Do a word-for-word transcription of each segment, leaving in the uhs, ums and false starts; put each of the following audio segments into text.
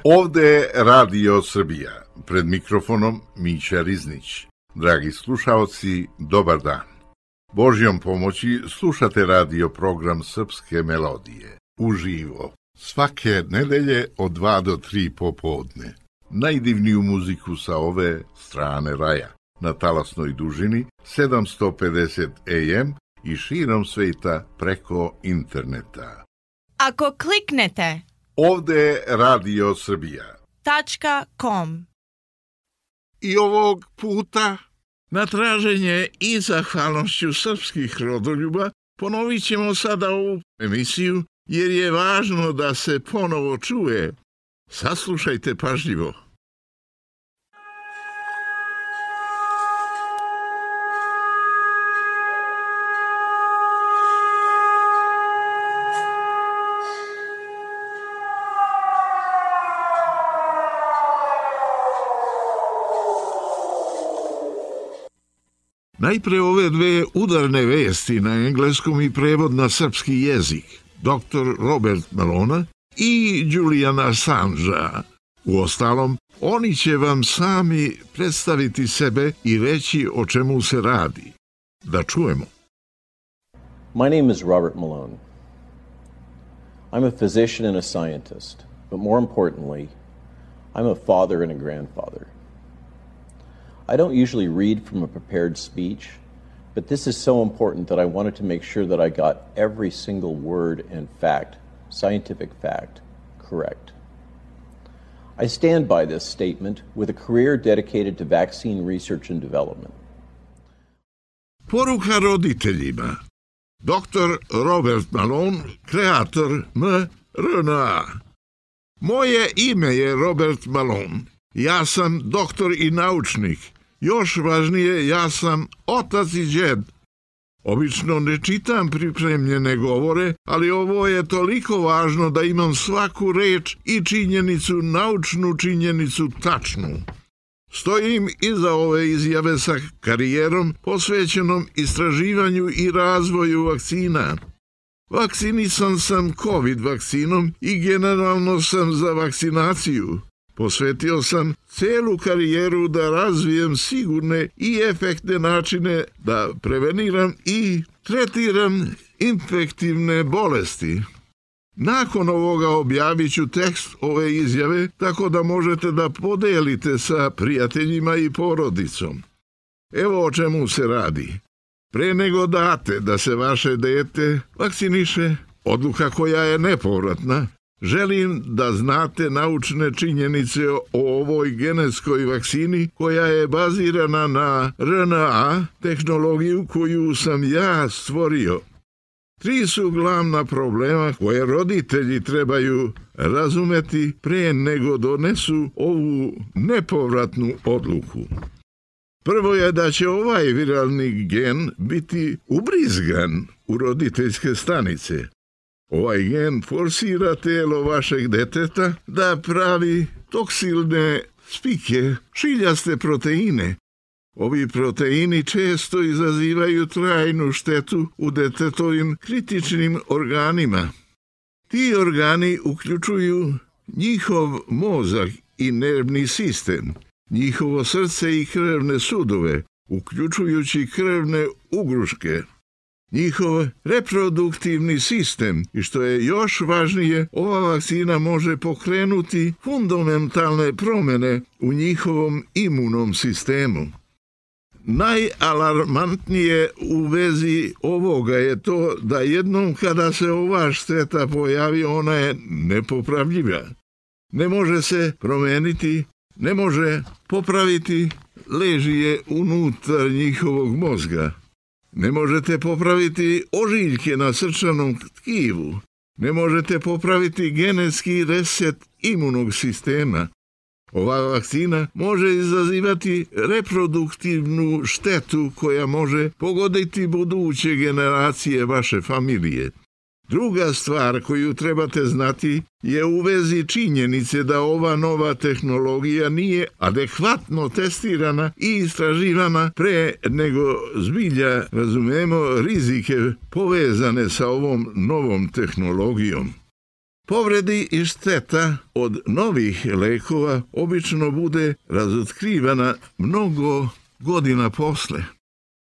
Ovde je Radio Srbija, pred mikrofonom Mića Riznić. Dragi slušaoci, dobar dan. Božjom pomoći slušate radio program Srpske melodije, uživo, svake nedelje od dva do tri popodne. Najdivniju muziku sa ove strane raja, na talasnoj dužini sedamsto pedeset A M i širom sveta preko interneta. Ako kliknete Ovde je Radio Srbija. tačka com. I ovog puta, na traženje i zahvalnošću srpskih rodoljuba, ponovit ćemo sada ovu emisiju, jer je važno da se ponovo čuje. Saslušajte pažljivo. Najpre ove dve udarne vesti na engleskom i prevod na srpski jezik. doktor Robert Malona i Julian Assangea. Uostalom, oni će vam sami predstaviti sebe i reći o čemu se radi. Da čujemo. My name is Robert Malone. I'm a physician and a scientist, but more importantly, I'm a father and a grandfather. I don't usually read from a prepared speech, but this is so important that I wanted to make sure that I got every single word and fact, scientific fact, correct. I stand by this statement with a career dedicated to vaccine research and development. Poruka roditeljima. doktor Robert Malone, kreator em R N A. Moje ime je Robert Malone. Ja sam doktor i naučnik. Još važnije, ja sam otac i džed. Obično ne čitam pripremljene govore, ali ovo je toliko važno da imam svaku reč i činjenicu, naučnu činjenicu tačnu. Stojim iza ove izjave sa karijerom posvećenom istraživanju i razvoju vakcina. Vakcinisan sam COVID vakcinom i generalno sam za vakcinaciju. Posvetio sam celu karijeru da razvijem sigurne i efektne načine da preveniram i tretiram infektivne bolesti. Nakon ovoga objavit ću tekst ove izjave tako da možete da podelite sa prijateljima i porodicom. Evo o čemu se radi. Pre nego date da se vaše dete vakciniše, odluka koja je nepovratna, želim da znate naučne činjenice o ovoj genetskoj vakcini koja je bazirana na R N A tehnologiju koju sam ja stvorio. Tri su glavna problema koje roditelji trebaju razumeti pre nego donesu ovu nepovratnu odluku. Prvo je da će ovaj viralni gen biti ubrizgan u roditeljske stanice. Ovaj gen forsira telo vašeg deteta da pravi toksilne spike, šiljaste proteine. Ovi proteini često izazivaju trajnu štetu u detetovim kritičnim organima. Ti organi uključuju njihov mozak i nervni sistem, njihovo srce i krvne sudove, uključujući krvne ugruške, njihov reproduktivni sistem i što je još važnije, ova vakcina može pokrenuti fundamentalne promjene u njihovom imunom sistemu. Najalarmantnije u vezi ovoga je to da jednom kada se ova šteta pojavi, ona je nepopravljiva. Ne može se promeniti, ne može popraviti, leži je unutar njihovog mozga. Ne možete popraviti ožiljke na srčanom tkivu. Ne možete popraviti genetski reset imunog sistema. Ova vakcina može izazivati reproduktivnu štetu koja može pogoditi buduće generacije vaše familije. Druga stvar koju trebate znati je u vezi činjenice da ova nova tehnologija nije adekvatno testirana i istraživana pre nego zbilja razumemo rizike povezane sa ovom novom tehnologijom. Povredi i šteta od novih lekova obično bude razotkrivana mnogo godina posle.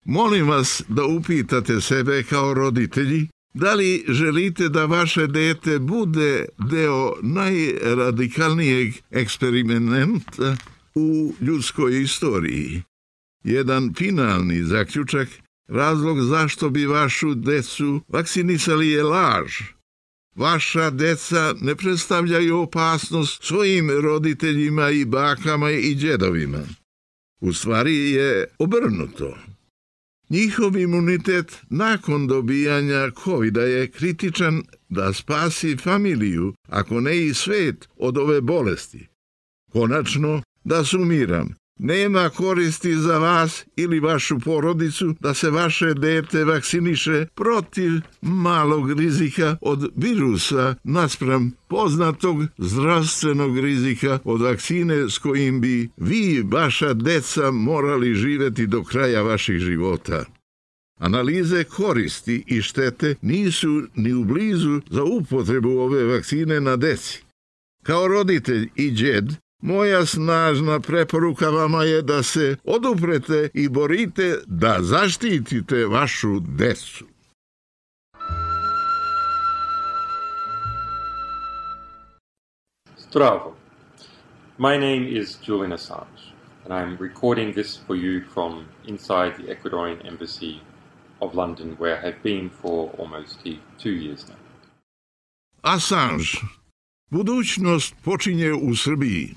Molim vas da upitate sebe kao roditelji da li želite da vaše dete bude deo najradikalnijeg eksperimenta u ljudskoj istoriji. Jedan finalni zaključak, razlog zašto bi vašu decu vakcinisali je laž. Vaša deca ne predstavljaju opasnost svojim roditeljima i bakama i djedovima. U stvari je obrnuto. Njihov imunitet nakon dobijanja kovida je kritičan da spasi familiju, ako ne i svet, od ove bolesti. Konačno, da sumiram, nema koristi za vas ili vašu porodicu da se vaše dete vakciniše protiv malog rizika od virusa naspram poznatog zdravstvenog rizika od vakcine s kojim bi vi, vaša deca, morali živjeti do kraja vaših života. Analize koristi i štete nisu ni u blizu za upotrebu ove vakcine na deci. Kao roditelj i djed, moja snažna preporuka vama je da se oduprete i borite da zaštitite vašu decu. Zdravo. My name is Julian Assange, and I'm recording this for you from inside the Ecuadorian Embassy of London, where I have been for almost two years now. Assange. Budućnost počinje u Srbiji.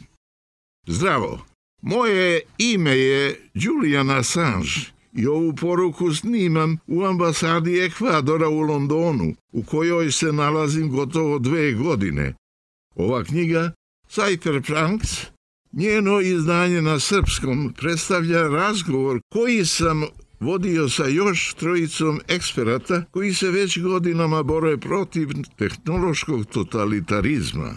Zdravo. Moje ime je Julian Assange i ovu poruku snimam u ambasadi Ekvadora u Londonu, u kojoj se nalazim gotovo dve godine. Ova knjiga, Cypherpunks, njeno izdanje na srpskom, predstavlja razgovor koji sam vodio sa još trojicom eksperata koji se već godinama bore protiv tehnološkog totalitarizma.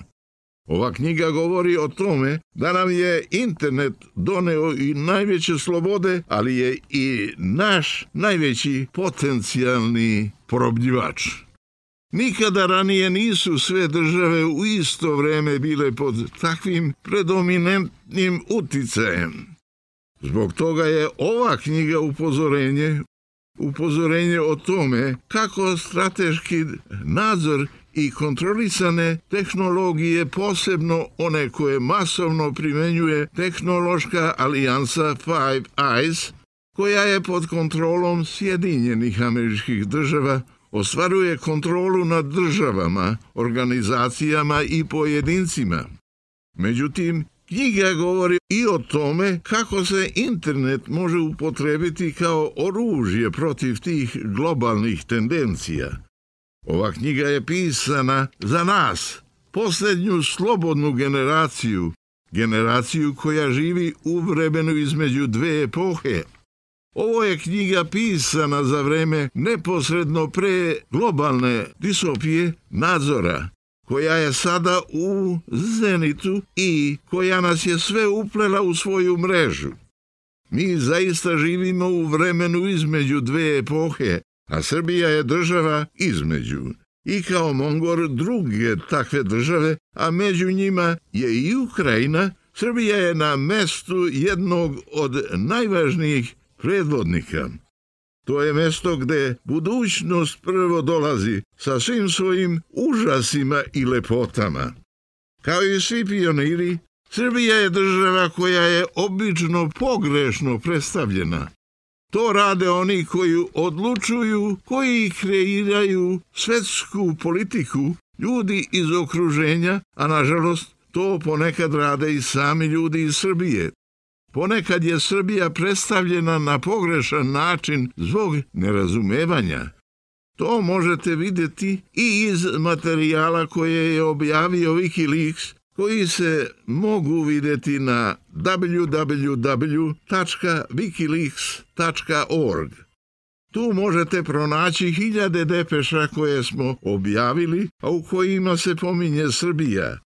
Ova knjiga govori o tome da nam je internet doneo i najveće slobode, ali je i naš najveći potencijalni porobljivač. Nikada ranije nisu sve države u isto vreme bile pod takvim predominantnim uticajem. Zbog toga je ova knjiga upozorenje, upozorenje o tome kako strateški nadzor i kontrolisane tehnologije, posebno one koje masovno primenjuje tehnološka alijansa Five Eyes, koja je pod kontrolom Sjedinjenih Američkih Država, ostvaruje kontrolu nad državama, organizacijama i pojedincima. Međutim, knjiga govori i o tome kako se internet može upotrebiti kao oružje protiv tih globalnih tendencija. Ova knjiga je pisana za nas, posljednju slobodnu generaciju, generaciju koja živi u vremenu između dve epohe. Ovo je knjiga pisana za vreme neposredno pre globalne disopije nadzora, koja je sada u zenitu i koja nas je sve uplela u svoju mrežu. Mi zaista živimo u vremenu između dve epohe, a Srbija je država između. I kao Mongor druge takve države, a među njima je i Ukrajina, Srbija je na mestu jednog od najvažnijih predvodnika. To je mesto gde budućnost prvo dolazi sa svim svojim užasima i lepotama. Kao i svi pioniri, Srbija je država koja je obično pogrešno predstavljena. To rade oni koji odlučuju, koji kreiraju svetsku politiku, ljudi iz okruženja, a nažalost to ponekad rade i sami ljudi iz Srbije. Ponekad je Srbija predstavljena na pogrešan način zbog nerazumevanja. To možete vidjeti i iz materijala koje je objavio Wikileaks, koji se mogu vidjeti na w w w tačka wikileaks tačka org. Tu možete pronaći hiljade depeša koje smo objavili, a u kojima se pominje Srbija.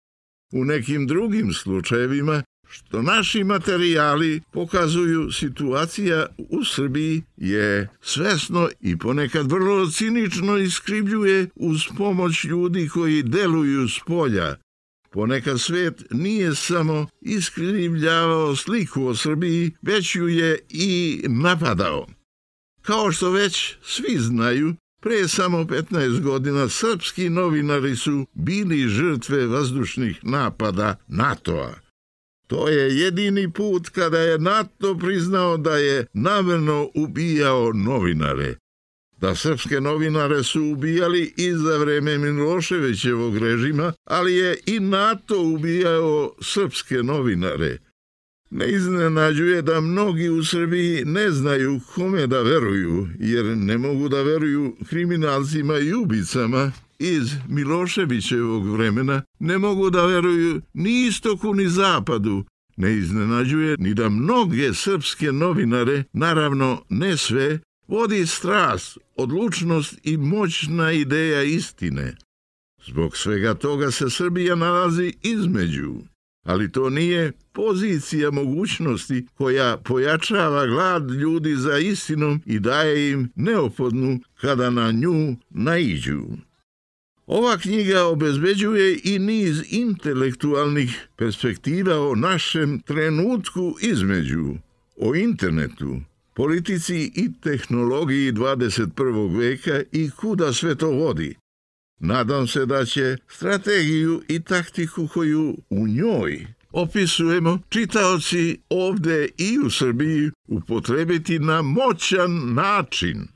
U nekim drugim slučajevima što naši materijali pokazuju, situacija u Srbiji je svesno i ponekad vrlo cinično iskrivljuje uz pomoć ljudi koji deluju s polja. Ponekad svet nije samo iskrivljavao sliku o Srbiji, već ju je i napadao. Kao što već svi znaju, pre samo petnaest godina srpski novinari su bili žrtve vazdušnih napada NATO-a. To je jedini put kada je NATO priznao da je namerno ubijao novinare. Da srpske novinare su ubijali i za vreme Miloševićevog režima, ali je i NATO ubijao srpske novinare. Ne iznenađuje da mnogi u Srbiji ne znaju kome da veruju, jer ne mogu da veruju kriminalcima i ubicama iz Miloševićevog vremena, ne mogu da veruju ni istoku ni zapadu. Ne iznenađuje ni da mnoge srpske novinare, naravno ne sve, vodi strast, odlučnost i moćna ideja istine. Zbog svega toga se Srbija nalazi između, ali to nije pozicija mogućnosti koja pojačava glad ljudi za istinom i daje im neophodnu kada na nju naiđu. Ova knjiga obezbeđuje i niz intelektualnih perspektiva o našem trenutku između, o internetu, politici i tehnologiji dvadeset prvog veka i kuda sve to vodi. Nadam se da će strategiju i taktiku koju u njoj opisujemo čitaoci ovde i u Srbiji upotrebiti na moćan način.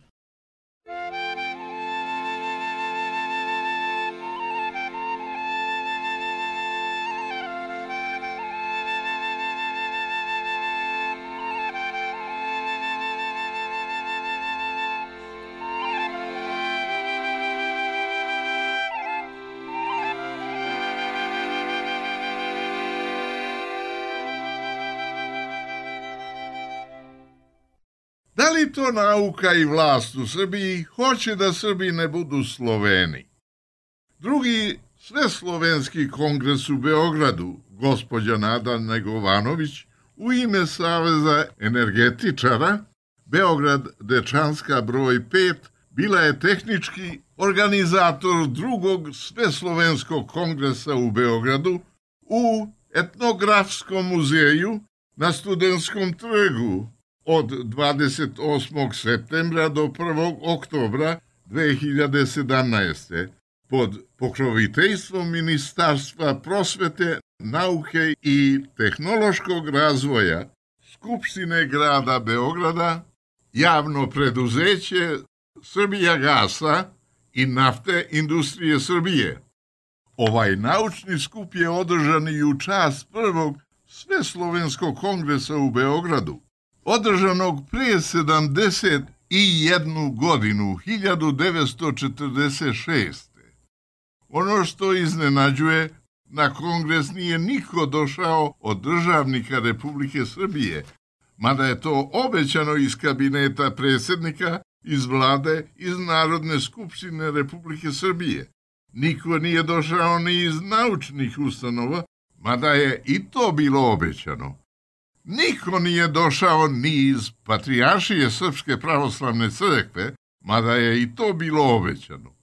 Da li to nauka i vlast u Srbiji hoće da Srbi ne budu Sloveni? Drugi sveslovenski kongres u Beogradu, gospođa Nada Negovanović, u ime Saveza energetičara, Beograd Dečanska broj pet, bila je tehnički organizator drugog sveslovenskog kongresa u Beogradu u Etnografskom muzeju na Studentskom trgu od dvadeset osmog septembra do prvog oktobra dve hiljade sedamnaeste. pod pokroviteljstvom Ministarstva prosvete, nauke i tehnološkog razvoja, Skupštine grada Beograda, javno preduzeće Srbijagasa i Nafte industrije Srbije. Ovaj naučni skup je održan i u čast prvog Sveslovenskog kongresa u Beogradu, održanog prije sedamdeset jednu godinu, hiljadu devetsto četrdeset šeste. Ono što iznenađuje, na kongres nije niko došao od državnika Republike Srbije, mada je to obećano iz kabineta predsjednika, iz vlade, iz Narodne skupštine Republike Srbije. Niko nije došao ni iz naučnih ustanova, mada je i to bilo obećano. Niko nije došao ni iz Patrijaršije Srpske pravoslavne crkve, mada je i to bilo obećano.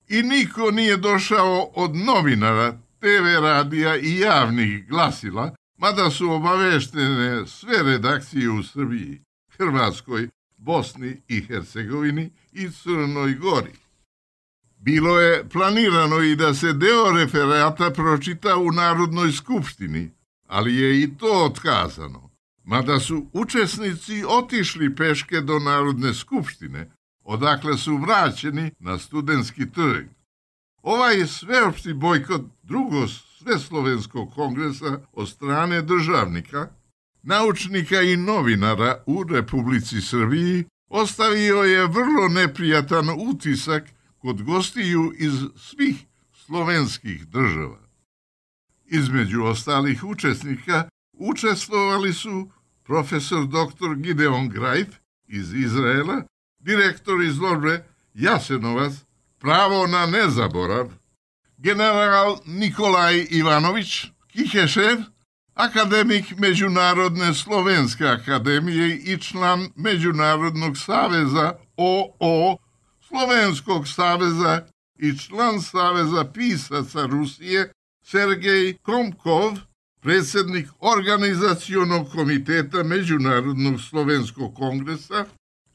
I niko nije došao od novinara, te ve radija i javnih glasila, mada su obaveštene sve redakcije u Srbiji, Hrvatskoj, Bosni i Hercegovini i Crnoj Gori. Bilo je planirano i da se deo referata pročita u Narodnoj skupštini, ali je i to otkazano, mada su učesnici otišli peške do Narodne skupštine, odakle su vraćeni na Studentski trg. Ovaj sveopšti bojkot drugog Sveslovenskog kongresa od strane državnika, naučnika i novinara u Republici Srbiji ostavio je vrlo neprijatan utisak kod gostiju iz svih slovenskih država. Između ostalih učesnika učestvovali su profesor doktor Gideon Greif iz Izraela, direktor izložbe Jasenovac, pravo na nezaborav, general Nikolaj Ivanović Kihešev, akademik Međunarodne slovenske akademije i član Međunarodnog saveza O O, Slovenskog saveza i član Saveza pisaca Rusije Sergej Komkov, predsjednik Organizacionog komiteta Međunarodnog slovenskog kongresa,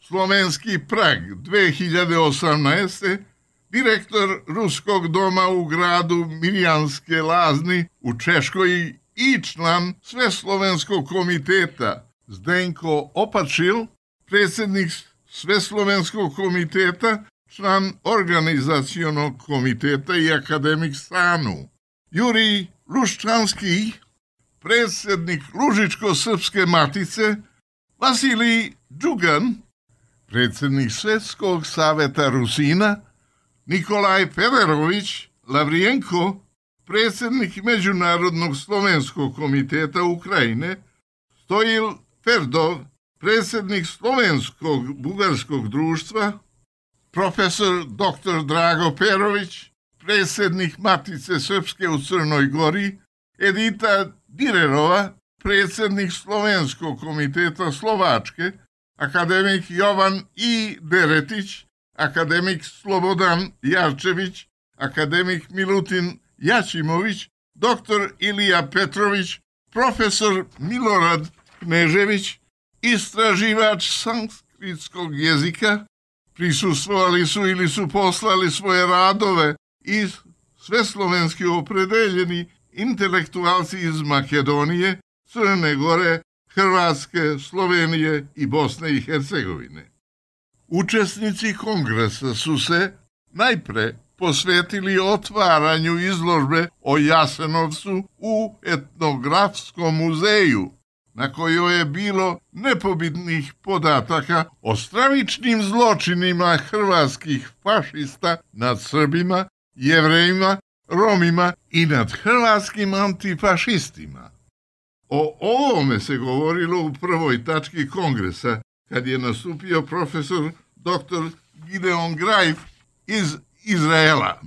Slovenski Prag dve hiljade osamnaeste, direktor Ruskog doma u gradu Miljanske Lazni u Češkoj i član Sveslovenskog komiteta Zdenko Opačil, predsjednik Sveslovenskog komiteta, član Organizacionog komiteta i akademik Sanu. Jurij Luščanski, predsjednik Lužičko-srpske matice, Vasilij Džugan, predsjednik Svjetskog saveta Rusina, Nikolaj Federović Lavrijenko, predsjednik Međunarodnog slovenskog komiteta Ukrajine, Stojil Ferdov, predsjednik Slovenskog bugarskog društva, profesor doktor Drago Perović, predsjednik Matice Srpske u Crnoj Gori, Edita Direrova, predsjednik Slovenskog komiteta Slovačke, akademik Jovan I. Deretić, akademik Slobodan Jarčević, akademik Milutin Jačimović, doktor Ilija Petrović, profesor Milorad Knežević, istraživač sanskritskog jezika, prisustvovali su ili su poslali svoje radove i sveslovenski opredeljeni intelektualci iz Makedonije, Crne Gore, Hrvatske, Slovenije i Bosne i Hercegovine. Učesnici kongresa su se najpre posvetili otvaranju izložbe o Jasenovcu u etnografskom muzeju, na kojoj je bilo nepobitnih podataka o stravičnim zločinima hrvatskih fašista nad Srbima, Jevrejima, Romima i nad hrvatskim antifašistima. O ovome se govorilo u prvoj tački kongresa, kad je nastupio profesor doktor Gideon Greif iz Izraela.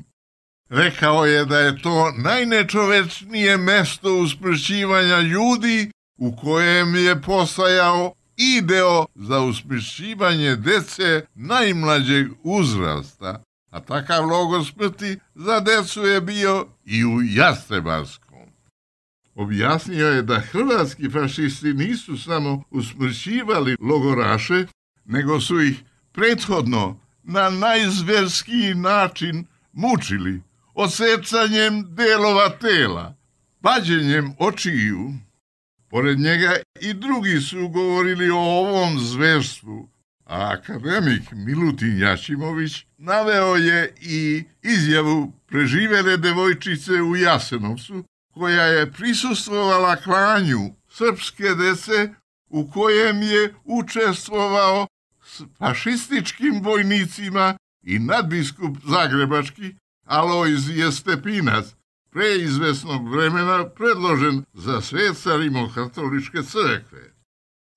Rekao je da je to najnečovečnije mesto usmrćivanja ljudi u kojem je postojao ideo za usmrćivanje dece najmlađeg uzrasta, a takav logor smrti za decu je bio i u Jastrebarskom. Objasnio je da hrvatski fašisti nisu samo usmrćivali logoraše, nego su ih prethodno na najzverskiji način mučili, odsecanjem delova tela, vađenjem očiju. Pored njega i drugi su govorili o ovom zverstvu, a akademik Milutin Jačimović naveo je i izjavu preživele devojčice u Jasenovcu, koja je prisustvovala klanju srpske dece u kojem je učestvovao s fašističkim vojnicima i nadbiskup zagrebački Alojzije Stepinac, pre izvesnog vremena predložen za sveca Rimokatoličke crkve.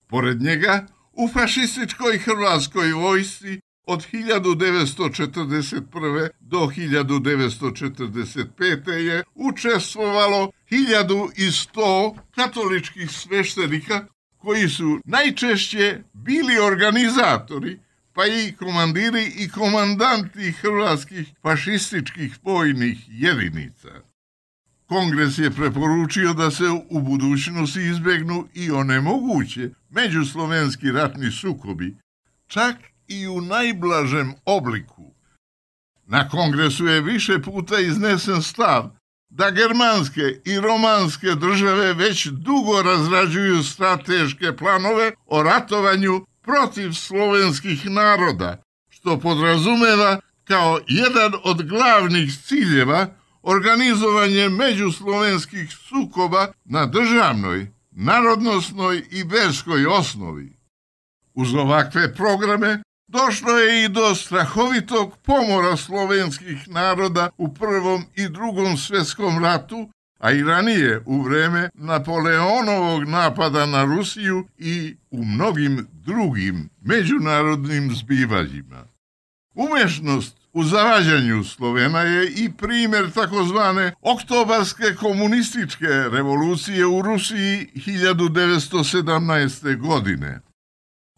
Pored njega, u fašističkoj hrvatskoj vojsci od hiljadu devetsto četrdeset prve. do hiljadu devetsto četrdeset pete. je učestvovalo hiljadu sto katoličkih sveštenika koji su najčešće bili organizatori, pa i komandiri i komandanti hrvatskih fašističkih vojnih jedinica. Kongres je preporučio da se u budućnosti izbegnu i onemoguće međuslovenski ratni sukobi, čak i u najblažem obliku. Na kongresu je više puta iznesen stav da germanske i romanske države već dugo razrađuju strateške planove o ratovanju protiv slovenskih naroda, što podrazumeva kao jedan od glavnih ciljeva organizovanje međuslovenskih sukoba na državnoj, narodnosnoj i verskoj osnovi. Uz ovakve programe došlo je i do strahovitog pomora slovenskih naroda u Prvom i Drugom svjetskom ratu, a i ranije u vreme Napoleonovog napada na Rusiju i u mnogim drugim međunarodnim zbivanjima. Umešnost u zavađanju Slovena je i primjer takozvane oktobarske komunističke revolucije u Rusiji hiljadu devetsto sedamnaeste. godine.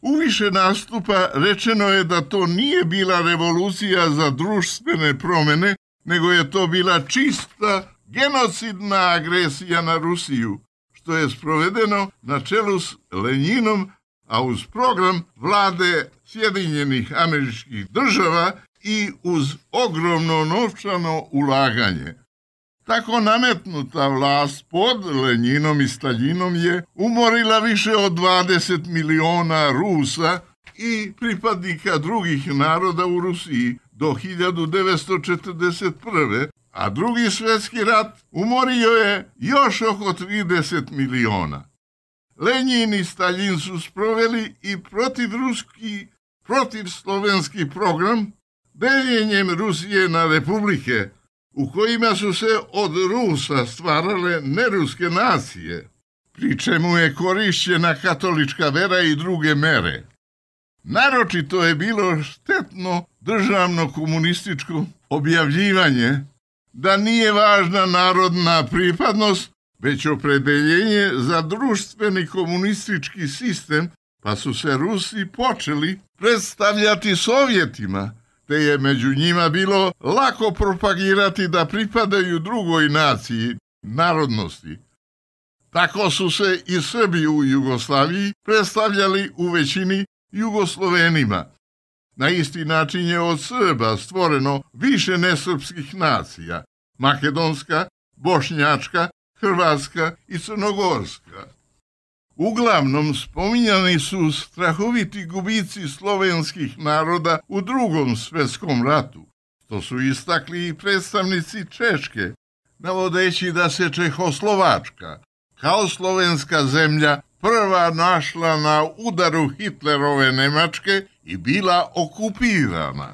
U više nastupa rečeno je da to nije bila revolucija za društvene promjene, nego je to bila čista genocidna agresija na Rusiju, što je sprovedeno na čelu s Lenjinom, a uz program vlade Sjedinjenih Američkih Država i uz ogromno novčano ulaganje. Tako nametnuta vlast pod Lenjinom i Staljinom je umorila više od dvadeset miliona Rusa i pripadnika drugih naroda u Rusiji do hiljadu devetsto četrdeset prve. a drugi svjetski rat umorio je još oko trideset miliona. Lenjin i Staljin su sproveli i protivruski, protivslovenski program deljenjem Rusije na republike, u kojima su se od Rusa stvarale neruske nacije, pri čemu je korišćena katolička vera i druge mere. Naročito je bilo štetno državno komunističko objavljivanje da nije važna narodna pripadnost, već opredeljenje za društveni komunistički sistem, pa su se Rusi počeli predstavljati Sovjetima, te je među njima bilo lako propagirati da pripadaju drugoj naciji, narodnosti. Tako su se i Srbi u Jugoslaviji predstavljali u većini Jugoslovenima. Na isti način je od Srba stvoreno više nesrpskih nacija, makedonska, bošnjačka, hrvatska i crnogorska. Uglavnom spominjani su strahoviti gubici slovenskih naroda u drugom svjetskom ratu. To su istakli i predstavnici Češke, navodeći da se Čehoslovačka, kao slovenska zemlja, prva našla na udaru Hitlerove Nemačke i bila okupirana.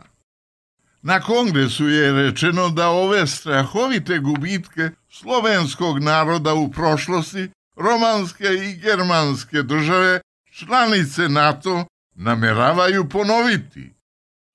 Na kongresu je rečeno da ove strahovite gubitke slovenskog naroda u prošlosti romanske i germanske države, članice NATO, nameravaju ponoviti.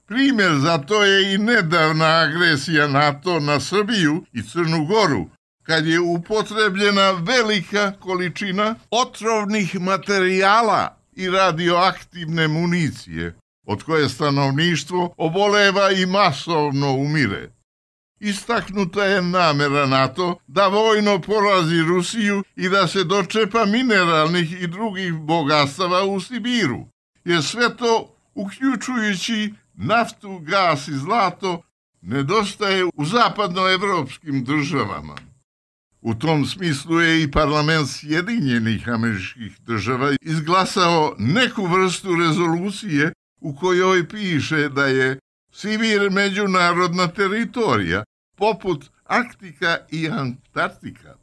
Primjer za to je i nedavna agresija NATO na Srbiju i Crnu Goru, kad je upotrebljena velika količina otrovnih materijala i radioaktivne municije, od koje stanovništvo oboleva i masovno umire. Istaknuta je namera NATO da vojno porazi Rusiju i da se dočepa mineralnih i drugih bogatstava u Sibiru, jer sve to, uključujući naftu, gas i zlato, nedostaje u zapadnoevropskim državama. U tom smislu je i parlament Sjedinjenih Američkih Država izglasao neku vrstu rezolucije u kojoj piše da je Sibir međunarodna teritorija, poput Arktika i Antarktika.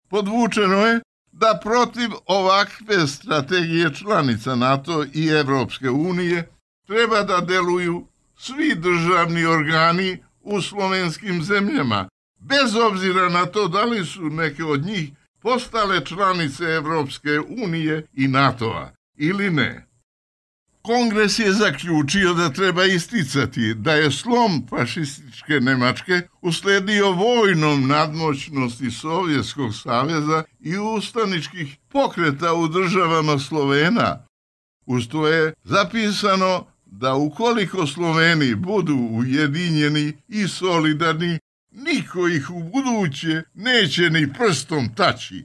Podvučeno je da protiv ovakve strategije članica NATO i Evropske unije treba da deluju svi državni organi u slovenskim zemljama, bez obzira na to da li su neke od njih postale članice Evropske unije i NATO-a ili ne. Kongres je zaključio da treba isticati da je slom fašističke Nemačke usledio vojnom nadmoćnosti Sovjetskog saveza i ustaničkih pokreta u državama Slovena. Uz to je zapisano da ukoliko Sloveni budu ujedinjeni i solidarni, niko ih u buduće neće ni prstom taći.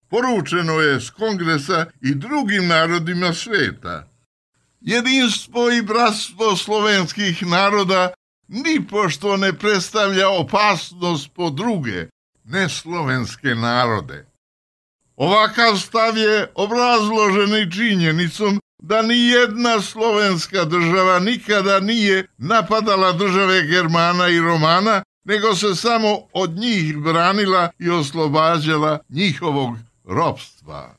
Poručeno je s kongresa i drugim narodima sveta. Jedinstvo i bratstvo slovenskih naroda nipošto ne predstavlja opasnost po druge, neslovenske narode. Ovakav stav je obrazložen i činjenicom da ni jedna slovenska država nikada nije napadala države Germana i Romana, nego se samo od njih branila i oslobađala njihovog ropstva.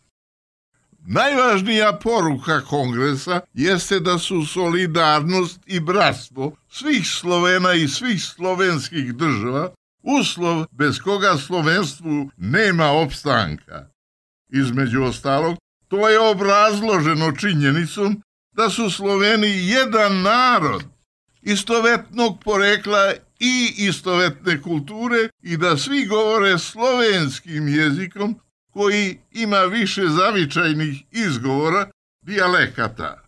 Najvažnija poruka kongresa jeste da su solidarnost i bratstvo svih Slovena i svih slovenskih država uslov bez koga slovenstvu nema opstanka. Između ostalog, to je obrazloženo činjenicom da su Sloveni jedan narod istovetnog porekla i istovetne kulture i da svi govore slovenskim jezikom koji ima više zavičajnih izgovora, dijalekata.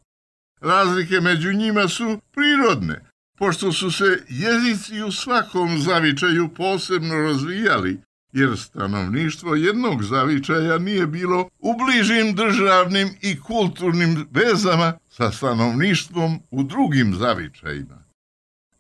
Razlike među njima su prirodne, pošto su se jezici u svakom zavičaju posebno razvijali, jer stanovništvo jednog zavičaja nije bilo u bližim državnim i kulturnim vezama sa stanovništvom u drugim zavičajima.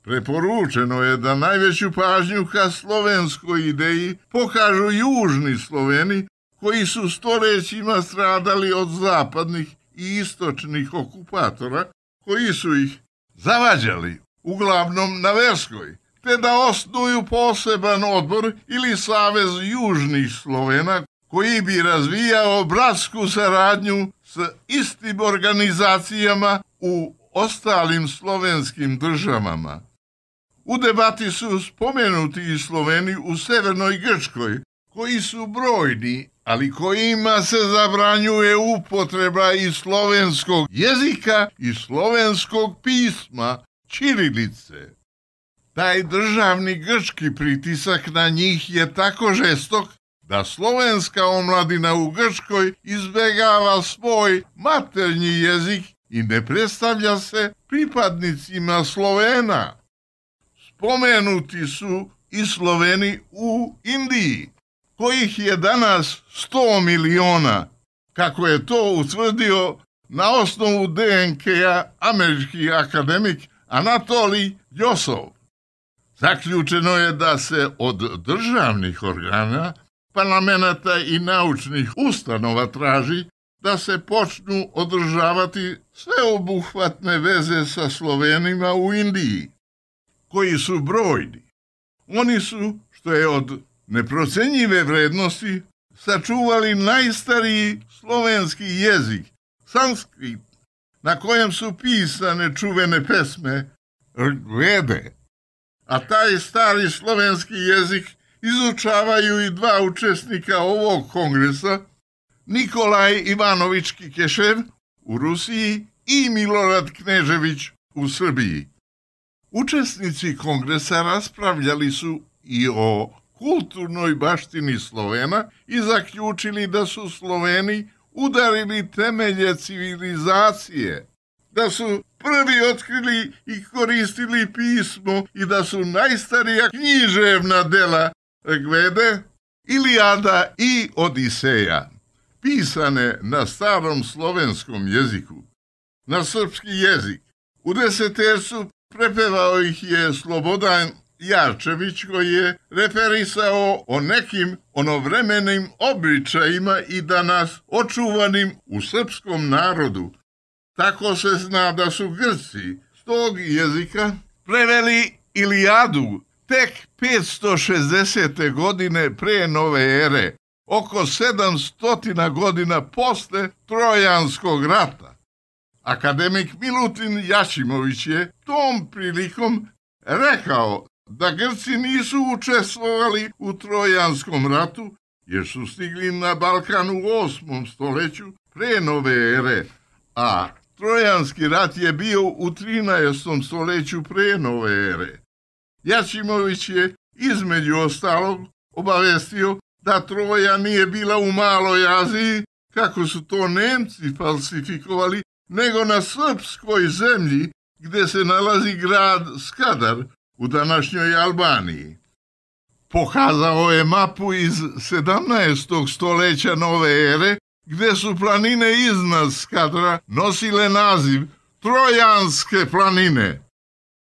Preporučeno je da najveću pažnju ka slovenskoj ideji pokažu južni Sloveni, koji su stoljećima stradali od zapadnih i istočnih okupatora, koji su ih zavađali, uglavnom na verskoj, te da osnuju poseban odbor ili savez južnih Slovena, koji bi razvijao bratsku saradnju s istim organizacijama u ostalim slovenskim državama. U debati su spomenuti i Sloveni u Severnoj Grčkoj, koji su brojni, ali kojima se zabranjuje upotreba i slovenskog jezika i slovenskog pisma, ćirilice. Taj državni grčki pritisak na njih je tako žestok da slovenska omladina u Grčkoj izbegava svoj maternji jezik i ne predstavlja se pripadnicima Slovena. Spomenuti su i Sloveni u Indiji, kojih je danas sto miliona, kako je to utvrdio na osnovu D N K-a američki akademik Anatolij Ljosov. Zaključeno je da se od državnih organa, parlamenta i naučnih ustanova traži da se počnu održavati sveobuhvatne veze sa Slovenima u Indiji, koji su brojni. Oni su, što je od neprocenjive vrednosti, sačuvali najstariji slovenski jezik, sanskrit, na kojem su pisane čuvene pesme Vede. A taj stari slovenski jezik izučavaju i dva učesnika ovog kongresa, Nikolaj Ivanović Kikešev u Rusiji i Milorad Knežević u Srbiji. Učesnici kongresa raspravljali su i o kulturnoj baštini Slovena i zaključili da su Sloveni udarili temelje civilizacije, da su prvi otkrili i koristili pismo i da su najstarija književna dela Rigvede, Ilijada i Odiseja pisane na starom slovenskom jeziku, na srpski jezik. U desetercu prepevao ih je Slobodan Jarčević, koji je referisao o nekim onovremenim običajima i danas očuvanim u srpskom narodu. Tako se zna da su Grci s tog jezika preveli Ilijadu tek petsto šezdesete godine pre nove ere, oko sedamsto godina posle Trojanskog rata. Akademik Milutin Jašimović je tom prilikom rekao da Grci nisu učestvovali u Trojanskom ratu, jer su stigli na Balkan u osmom stoljeću pre nove ere, a Trojanski rat je bio u trinaestom stoljeću pre nove ere. Jašimović je između ostalog obavestio da Troja nije bila u Maloj Aziji, kako su to Nemci falsifikovali, nego na srpskoj zemlji, gde se nalazi grad Skadar u današnjoj Albaniji. Pokazao je mapu iz sedamnaestog stoljeća nove ere, gde su planine iznad Skadra nosile naziv Trojanske planine.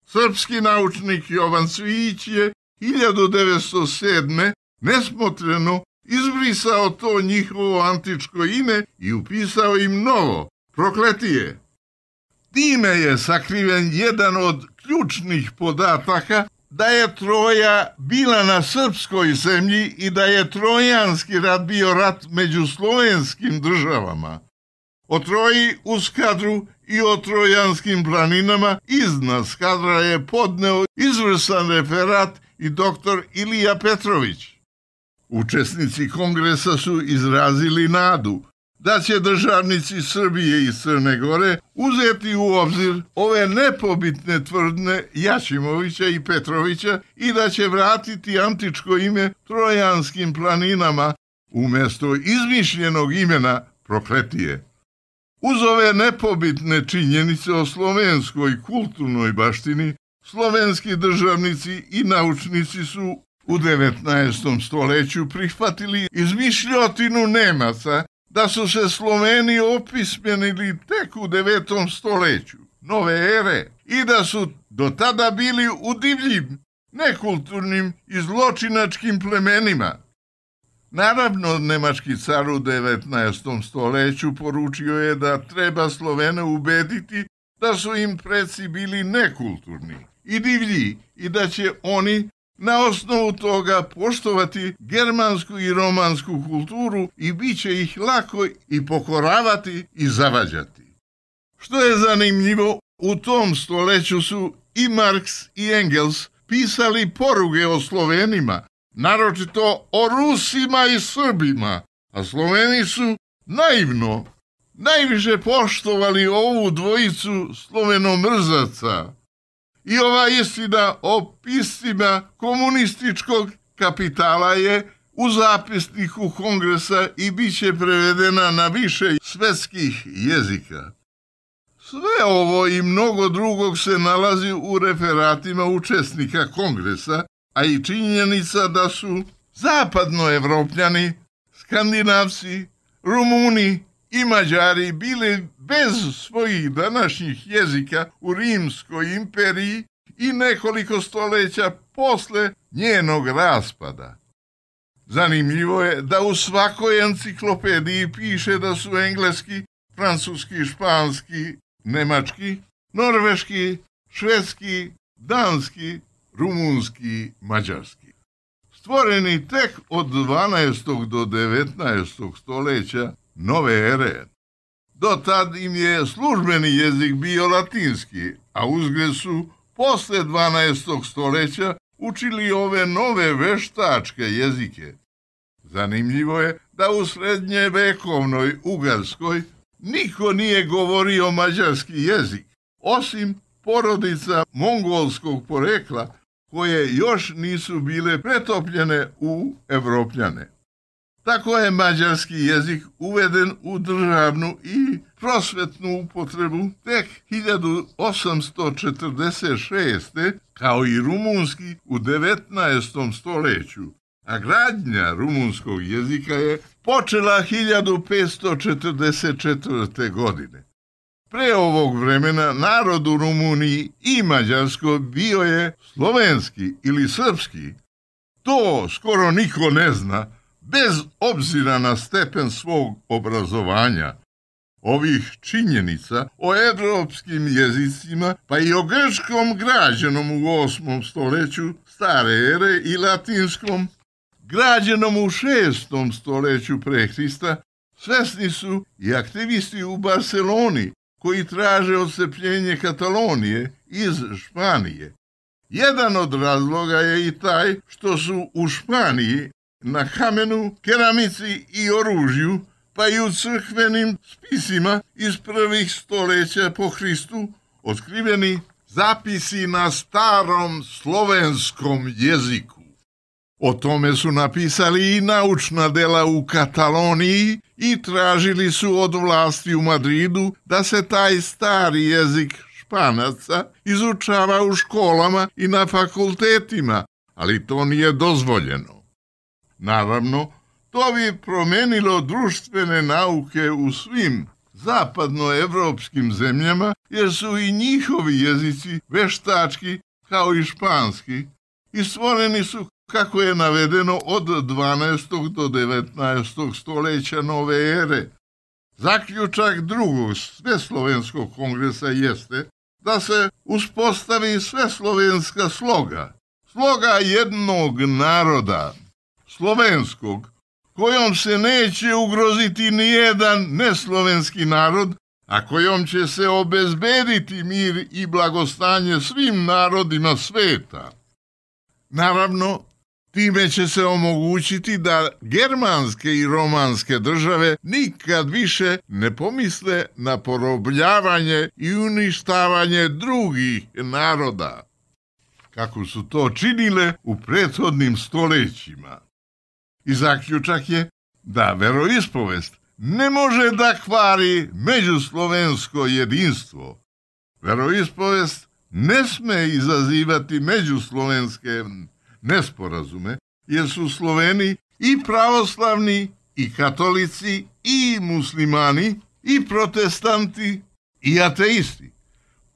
Srpski naučnik Jovan Cvijić je hiljadu devetsto sedme nesmotreno izbrisao to njihovo antičko ime i upisao im novo, Prokletije. Time je sakriven jedan od ključnih podataka da je Troja bila na srpskoj zemlji i da je Trojanski rat bio rat među slovenskim državama. O Troji u Skadru i o Trojanskim planinama iznad Skadra je podneo izvrstan referat i doktor Ilija Petrović. Učesnici kongresa su izrazili nadu da će državnici Srbije i Crne Gore uzeti u obzir ove nepobitne tvrdne Jašimovića i Petrovića i da će vratiti antičko ime Trojanskim planinama umjesto izmišljenog imena Prokletije. Uz ove nepobitne činjenice o slovenskoj kulturnoj baštini, slovenski državnici i naučnici su u devetnaestom stoleću prihvatili izmišljotinu Nemaca da su se Sloveni opismenili tek u devetom stoleću nove ere i da su do tada bili u divljim, nekulturnim i zločinačkim plemenima. Naravno, nemački car u devetnaestom stoleću poručio je da treba Slovene ubediti da su im preci bili nekulturni i divlji i da će oni na osnovu toga poštovati germansku i romansku kulturu i bit će ih lako i pokoravati i zavađati. Što je zanimljivo, u tom stoleću su i Marks i Engels pisali poruge o Slovenima, naročito o Rusima i Srbima, a Sloveni su naivno najviše poštovali ovu dvojicu slovenomrzaca. I ova istina o piscima komunističkog kapitala je u zapisniku Kongresa i bit će prevedena na više svetskih jezika. Sve ovo i mnogo drugog se nalazi u referatima učesnika Kongresa, a i činjenica da su zapadnoevropljani, Skandinavci, Rumuni i Mađari bili bez svojih današnjih jezika u Rimskoj imperiji i nekoliko stoleća posle njenog raspada. Zanimljivo je da u svakoj enciklopediji piše da su engleski, francuski, španski, nemački, norveški, švedski, danski, rumunski, mađarski. Stvoreni tek od dvanaestog do devetnaestog stoleća nove ere. Do tad im je službeni jezik bio latinski, a uzgred su posle dvanaestog stoleća učili ove nove veštačke jezike. Zanimljivo je da u srednjevekovnoj Ugarskoj niko nije govorio mađarski jezik, osim porodica mongolskog porekla, koje još nisu bile pretopljene u Evropljane. Tako je mađarski jezik uveden u državnu i prosvetnu upotrebu tek hiljadu osamsto četrdeset šeste. kao i rumunski u devetnaestom stoleću, a gradnja rumunskog jezika je počela hiljadu petsto četrdeset četvrte. godine. Pre ovog vremena narod u Rumuniji i Mađarskoj bio je slovenski ili srpski. To skoro niko ne zna, bez obzira na stepen svog obrazovanja. Ovih činjenica o evropskim jezicima, pa i o grčkom građenom u osmom stoleću stare ere i latinskom građenom u šestom stoleću pre Hrista, svesni su i aktivisti u Barceloni, koji traže odcepljenje Katalonije iz Španije. Jedan od razloga je i taj što su u Španiji na kamenu, keramici i oružju, pa i u crkvenim spisima iz prvih stoleća po Hristu otkriveni zapisi na starom slovenskom jeziku. O tome su napisali i naučna dela u Kataloniji i tražili su od vlasti u Madridu da se taj stari jezik Španaca izučava u školama i na fakultetima, ali to nije dozvoljeno. Naravno, to bi promenilo društvene nauke u svim zapadnoevropskim zemljama, jer su i njihovi jezici veštački kao i španski i stvoreni su, kako je navedeno, od dvanaestog do devetnaestog stoleća nove ere. Zaključak drugog sveslovenskog kongresa jeste da se uspostavi sveslovenska sloga, sloga jednog naroda, slovenskog, kojom se neće ugroziti nijedan neslovenski narod, a kojom će se obezbediti mir i blagostanje svim narodima sveta. Naravno, Time će se omogućiti da germanske i romanske države nikad više ne pomisle na porobljavanje i uništavanje drugih naroda, kako su to činile u prethodnim stoljećima. I zaključak je da veroispovest ne može da kvari međuslovensko jedinstvo. Veroispovest ne sme izazivati međuslovenske nesporazume, jer su Sloveni i pravoslavni, i katolici, i muslimani, i protestanti, i ateisti.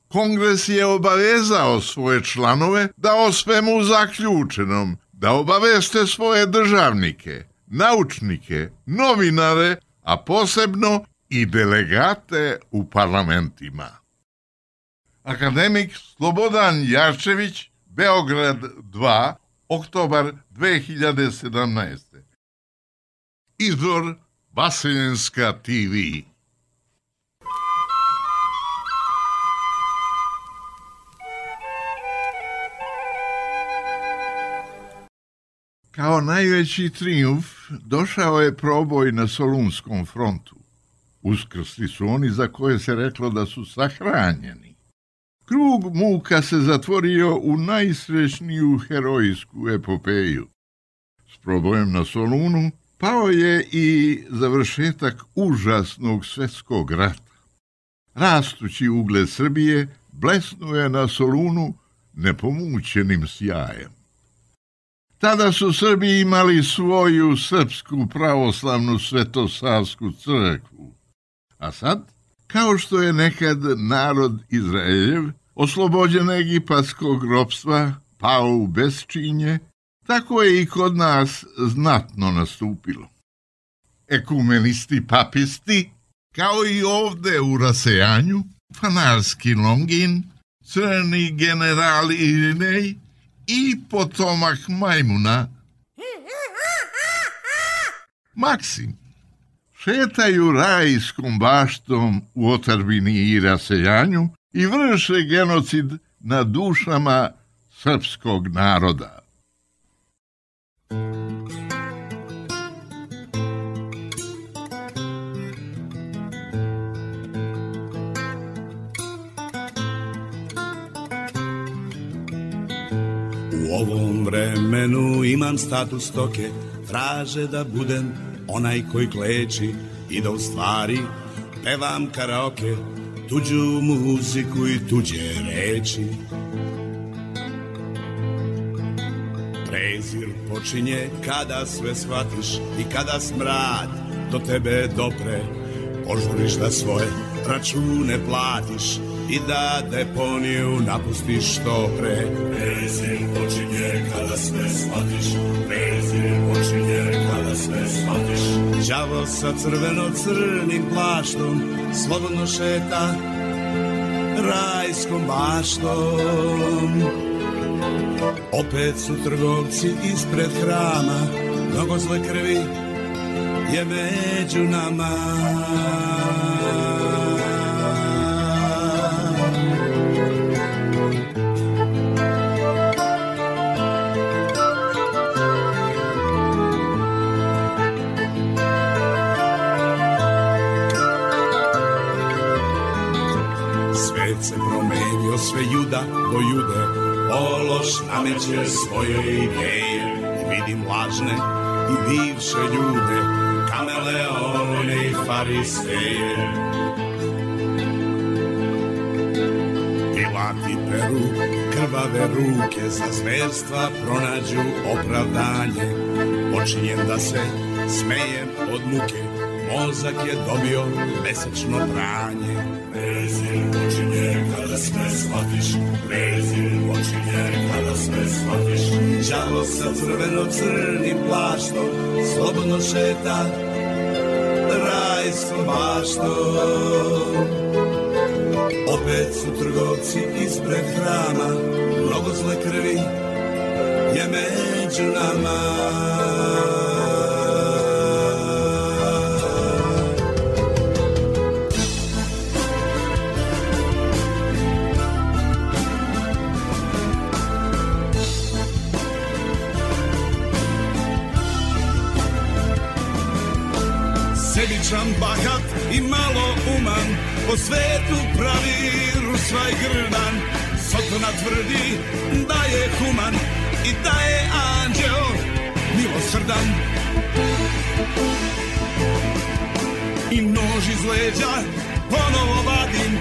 Kongres je obavezao svoje članove da o svemu zaključenom, da obaveste svoje državnike, naučnike, novinare, a posebno i delegate u parlamentima. Akademik Slobodan Jarčević, Beograd dva, oktobar dve hiljade sedamnaeste. Izvor Vaseljenska T V. Kao najveći trijumf došao je proboj na Solunskom frontu. Uskrsli su oni za koje se reklo da su sahranjeni. Krug muka se zatvorio u najsrećniju herojsku epopeju. S probojem na Solunu pao je i završetak užasnog svjetskog rata. Rastući ugled Srbije blesnuje na Solunu nepomućenim sjajem. Tada su Srbi imali svoju srpsku pravoslavnu svetosavsku crkvu. A sad, kao što je nekad narod Izraeljev oslobođen egipatskog ropstva pao u besčinje, tako je i kod nas znatno nastupilo. Ekumenisti papisti, kao i ovde u rasejanju, fanarski Longin, crni general Irinej i potomak Majmuna, Maksim, šetaju rajskom baštom u otadžbini i rasejanju i vrše genocid na dušama srpskog naroda. U ovom vremenu imam status stoke, traže da budem onaj koji kleči i da u stvari pevam karaoke, tuđu muziku i tuđe reči. Prezir počinje kada sve shvatiš i kada smrad do tebe dopre, požuriš da svoje račune platiš i da deponiju napustiš što pre. Prezir počinje kada sve shvatiš, prezir počinje kada sve shvatiš. Đavo sa crveno-crnim plaštom slobodno šeta rajskom baštom. Opet su trgovci ispred hrama, mnogo zle krvi je među nama. Svet se promenio, sve juda do jude, ološ nameće svoje ideje. Vidim lažne i bivše ljude, kameleone i fariseje. Pilati peru krvave ruke, za zverstva pronađu opravdanje. Počinjem da se smejem od muke, mozak je dobio mesečno pranje. Prezir počinje kada sve shvatiš, prezir počinje kada sve shvatiš. Đavo sa crveno-crnim plaštom slobodno šeta rajskom baštom. Opet su trgovci ispred hrama, mnogo zle krvi je među nama. Običan, bahat i malo uman, po svetu pravi rusvaj grdan. Sotona tvrdi da je human i da je anđeo milosrdan. I nož iz leđa ponovo vadim,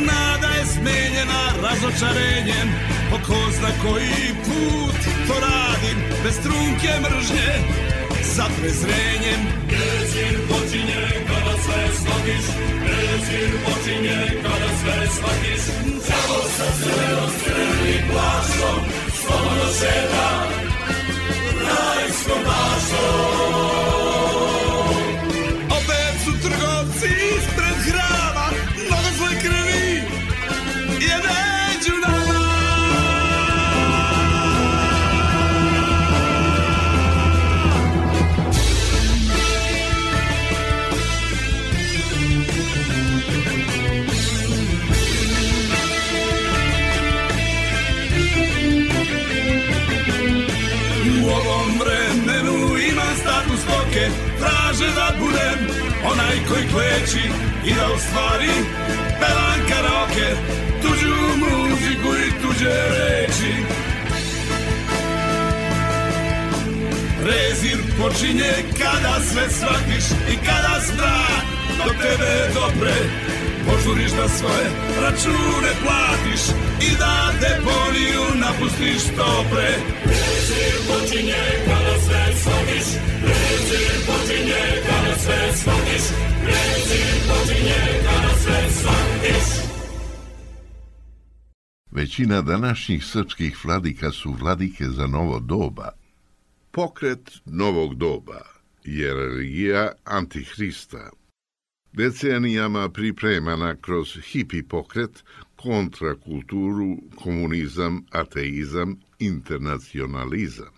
nada je smenjena razočarenjem. Po ko zna koji put to radim, bez trunke mržnje, za prezrenjem. Prezir počinje kada sve shvatiš, prezir počinje kada sve shvatiš. Đavo sa crvenom crvenim plašom, slobodno šeta rajskom bašom. Opet su trgovci ispred hrama, mnogo zle krvi je među nama. U ovom vremenu imam status stoke, traže da budem onaj koji kleči i da u stvari pevam karaoke, tuđu muziku i tuđe reči. Prezir počinje kada sve shvatiš i kada strah do tebe dopre, požuriš da svoje račune platiš i da deponiju napustiš što pre. Prezir počinje kada sve shvatiš, prezir počinje kada sve shvatiš, prezir počinje kada sve shvatiš. Većina današnjih srpskih vladika su vladike za novo doba. Pokret novog doba je religija Antihrista, decenijama pripremana kroz hipi pokret, kontrakulturu, komunizam, ateizam, internacionalizam.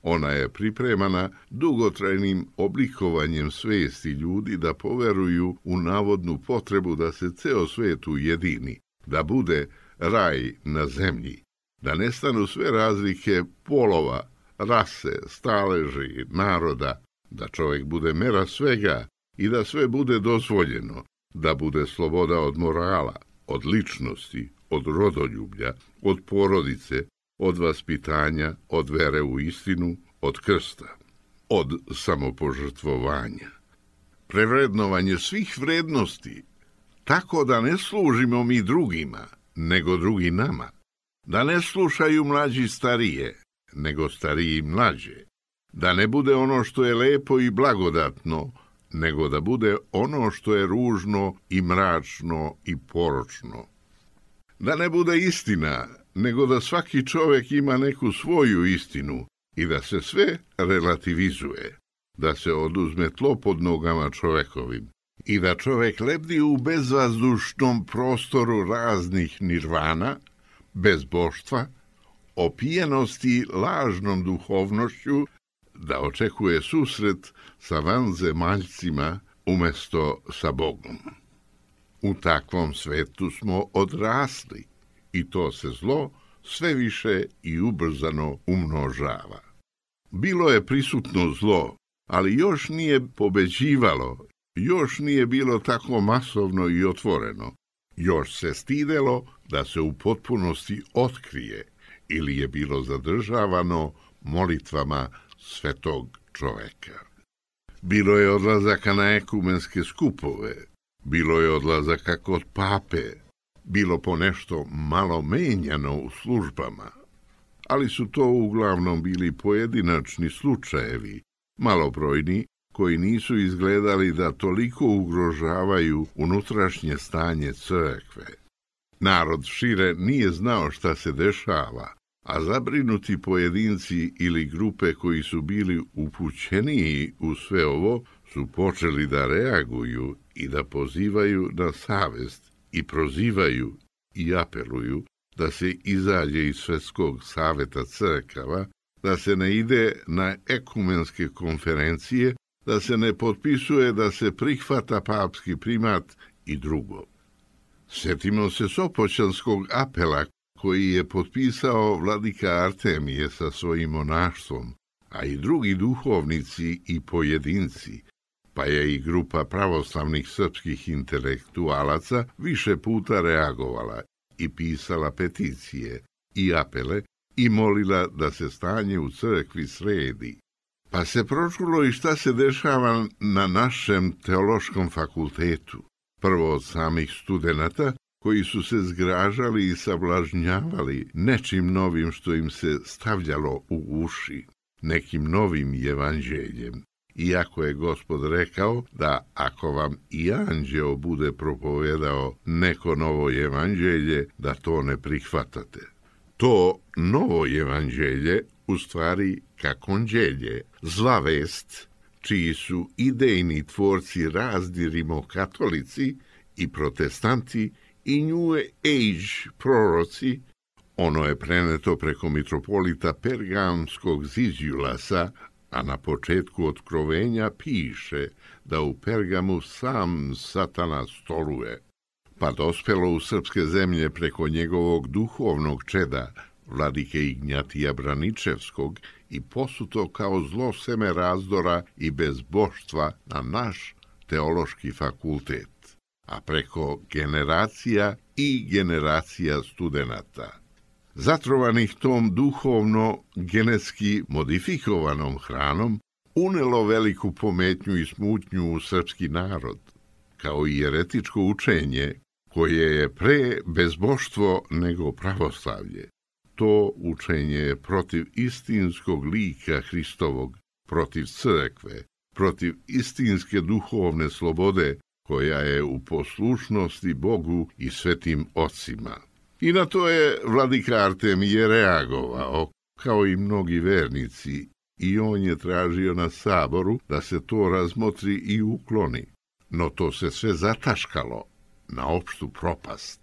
Ona je pripremana dugotrajnim oblikovanjem svesti ljudi da poveruju u navodnu potrebu da se ceo svet ujedini, da bude raj na zemlji, da nestanu sve razlike polova, rase, staleži, naroda, da čovjek bude mera svega i da sve bude dozvoljeno, da bude sloboda od morala, od ličnosti, od rodoljublja, od porodice, od vaspitanja, od vere u istinu, od krsta, od samopožrtvovanja. Prevrednovanje svih vrednosti, tako da ne služimo mi drugima, nego drugi nama, da ne slušaju mlađi starije, nego stariji mlađe, da ne bude ono što je lepo i blagodatno, nego da bude ono što je ružno i mračno i poročno. Da ne bude istina, nego da svaki čovjek ima neku svoju istinu i da se sve relativizuje, da se oduzme tlo pod nogama čovjekovim i da čovjek lebdi u bezvazdušnom prostoru raznih nirvana, bezboštva, opijenosti lažnom duhovnošću, da očekuje susret sa vanzemaljcima umjesto sa Bogom. U takvom svetu smo odrasli i to se zlo sve više i ubrzano umnožava. Bilo je prisutno zlo, ali još nije pobeđivalo, još nije bilo tako masovno i otvoreno, još se stidelo da se u potpunosti otkrije ili je bilo zadržavano molitvama svetog čoveka. Bilo je odlazaka na ekumenske skupove, bilo je odlazaka kod pape, bilo po nešto malo menjano u službama, ali su to uglavnom bili pojedinačni slučajevi, malobrojni, koji nisu izgledali da toliko ugrožavaju unutrašnje stanje crkve. Narod šire nije znao šta se dešava, a zabrinuti pojedinci ili grupe koji su bili upućeniji u sve ovo su počeli da reaguju i da pozivaju na savest i prozivaju i apeluju da se izađe iz Svetskog saveta crkava, da se ne ide na ekumenske konferencije, da se ne potpisuje da se prihvata papski primat i drugo. Sjetimo se Sopoćanskog apela koji je potpisao vladika Artemije sa svojim monaštvom, a i drugi duhovnici i pojedinci, pa je i grupa pravoslavnih srpskih intelektualaca više puta reagovala i pisala peticije i apele i molila da se stanje u crkvi sredi. Pa se pročulo i šta se dešava na našem teološkom fakultetu. Prvo od samih studenata, koji su se zgražali i sablažnjavali nečim novim što im se stavljalo u uši, nekim novim evanđeljem. Iako je Gospod rekao da ako vam i anđeo bude propovedao neko novo evanđelje, da to ne prihvatate. To novo evanđelje u stvari kakonđelje, zla vest, čiji su idejni tvorci razni rimokatolici i protestanti i New Age proroci, ono je preneto preko mitropolita Pergamskog Zizjulasa, a na početku otkrovenja piše da u Pergamu sam Satana stoluje, pa dospelo u srpske zemlje preko njegovog duhovnog čeda, vladike Ignjatija Braničevskog, i posuto kao zlo seme razdora i bezboštva na naš teološki fakultet, a preko generacija i generacija studenata, zatrovanih tom duhovno genetski modifikovanom hranom, unelo veliku pometnju i smutnju u srpski narod, kao i jeretičko učenje, koje je pre bezboštvo nego pravoslavlje. To učenje je protiv istinskog lika Hristovog, protiv crkve, protiv istinske duhovne slobode, koja je u poslušnosti Bogu i svetim ocima. I na to je vladika Artemije reagovao, kao i mnogi vernici, i on je tražio na saboru da se to razmotri i ukloni. No to se sve zataškalo na opštu propast.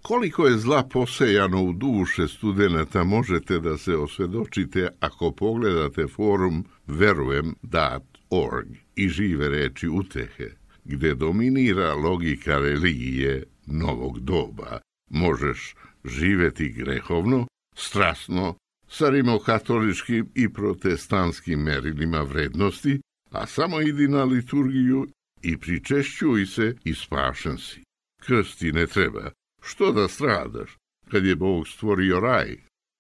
Koliko je zla posejano u duše studenata možete da se osvedočite ako pogledate forum verujem dot org i žive reči utehe, gde dominira logika religije novog doba. Možeš živeti grehovno, strasno, sa rimokatoličkim i protestantskim merilima vrednosti, a samo idi na liturgiju i pričešćuj se i spašen si. Krsti ne treba. Što da stradaš, kad je Bog stvorio raj?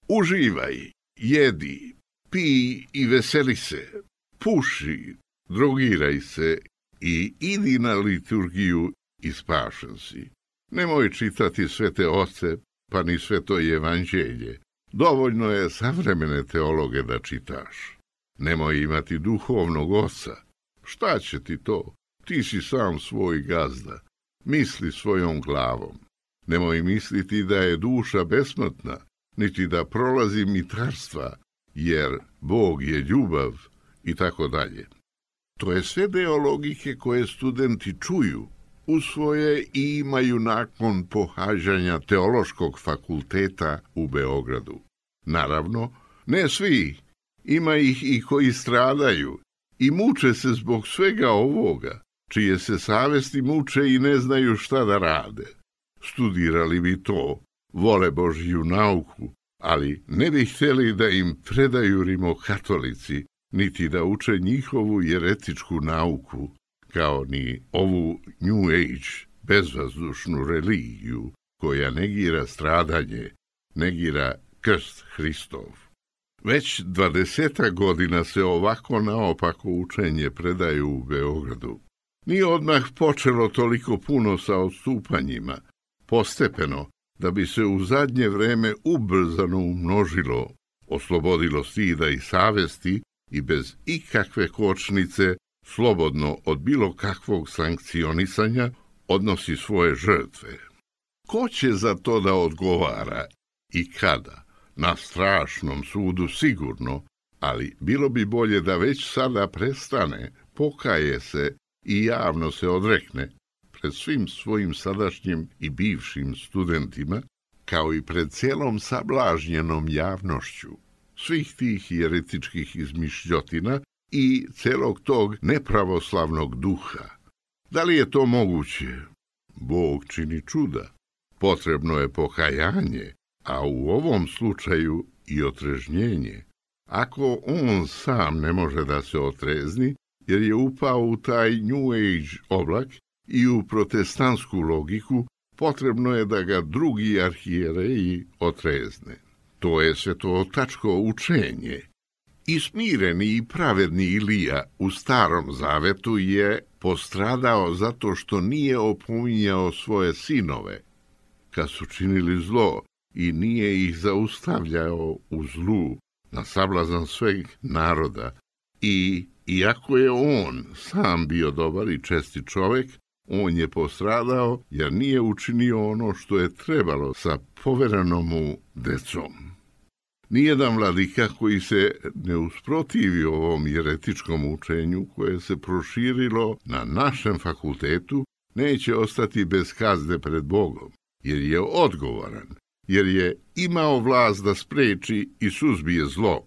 Uživaj, jedi, pij i veseli se, puši, drogiraj se i idi na liturgiju i spašen si. Nemoj čitati svete oce, pa ni sveto evanđelje. Dovoljno je savremene teologe da čitaš. Nemoj imati duhovnog oca. Šta će ti to? Ti si sam svoj gazda. Misli svojom glavom. Nemoj misliti da je duša besmrtna, niti da prolazi mitarstva, jer Bog je ljubav i tako dalje. To je sve deo logike koje studenti čuju, usvoje i imaju nakon pohađanja teološkog fakulteta u Beogradu. Naravno, ne svi, ima ih i koji stradaju i muče se zbog svega ovoga, čije se savesti muče i ne znaju šta da rade. Studirali bi to, vole Božju nauku, ali ne bi htjeli da im predaju rimokatolici, niti da uče njihovu jeretičku nauku, kao ni ovu New Age, bezvazdušnu religiju, koja negira stradanje, negira krst Hristov. Već dvadeseta godina se ovako naopako učenje predaju u Beogradu. Nije odmah počelo toliko puno sa odstupanjima, postepeno, da bi se u zadnje vreme ubrzano umnožilo, oslobodilo stida i savesti i bez ikakve kočnice, slobodno od bilo kakvog sankcionisanja, odnosi svoje žrtve. Ko će za to da odgovara i kada? Na strašnom sudu sigurno, ali bilo bi bolje da već sada prestane, pokaje se i javno se odrekne pred svim svojim sadašnjim i bivšim studentima, kao i pred cijelom sablažnjenom javnošću, svih tih jeretičkih izmišljotina i celog tog nepravoslavnog duha. Da li je to moguće? Bog čini čuda. Potrebno je pokajanje, a u ovom slučaju i otrežnjenje. Ako on sam ne može da se otrezni, jer je upao u taj New Age oblak i u protestantsku logiku, potrebno je da ga drugi arhijereji otrezne. To je svetotačko učenje. I smireni i pravedni Ilija u Starom Zavetu je postradao zato što nije opominjao svoje sinove, kad su činili zlo, i nije ih zaustavljao u zlu na sablazan sveg naroda. I iako je on sam bio dobar i čestit čovek, on je postradao jer nije učinio ono što je trebalo sa poverenom mu decom. Nijedan vladika koji se ne usprotivi ovom jeretičkom učenju koje se proširilo na našem fakultetu neće ostati bez kazne pred Bogom, jer je odgovoran, jer je imao vlast da spreči i suzbije zlo.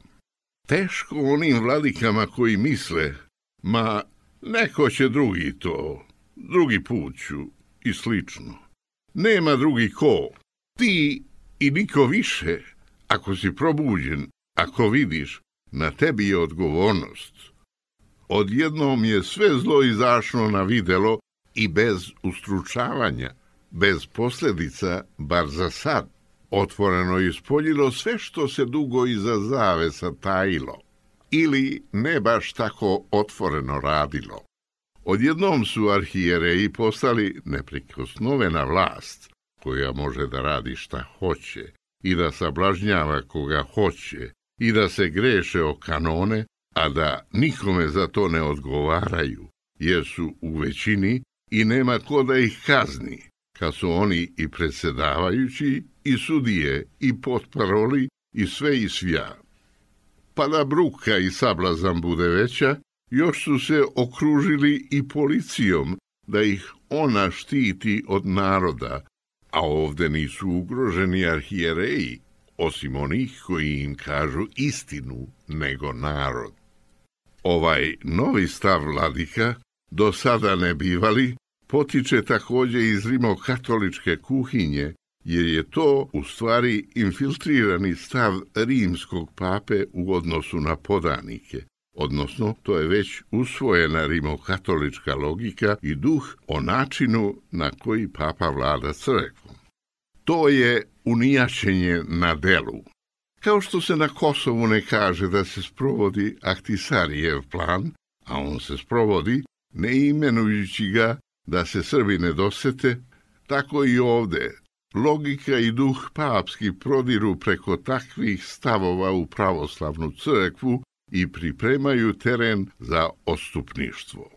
Teško onim vladikama koji misle, ma neko će drugi to, drugi put ću i slično. Nema drugi ko, ti i niko više. Ako si probuđen, ako vidiš, na tebi je odgovornost. Odjednom je sve zlo izašlo na videlo i bez ustručavanja, bez posljedica, bar za sad, otvoreno ispoljilo sve što se dugo iza zavesa tajilo, ili ne baš tako otvoreno radilo. Odjednom su arhijereji postali neprikosnovena vlast, koja može da radi šta hoće, i da sablažnjava koga hoće, i da se greše o kanone, a da nikome za to ne odgovaraju, jer su u većini i nema ko da ih kazni, kad su oni i predsjedavajući, i sudije, i potparoli, i sve i svja. Pa da bruka i sablazan bude veća, još su se okružili i policijom, da ih ona štiti od naroda, a ovde nisu ugroženi arhijereji, osim onih koji im kažu istinu, nego narod. Ovaj novi stav vladika, do sada ne bivali, potiče također iz rimokatoličke kuhinje, jer je to u stvari infiltrirani stav rimskog pape u odnosu na podanike, odnosno to je već usvojena rimokatolička logika i duh o načinu na koji papa vlada crkvom. To je unijašenje na delu. Kao što se na Kosovu ne kaže da se sprovodi Ahtisarijev plan, a on se sprovodi ne imenujući ga da se Srbi ne dosete, tako i ovde. Logika i duh papski prodiru preko takvih stavova u pravoslavnu crkvu i pripremaju teren za odstupništvo.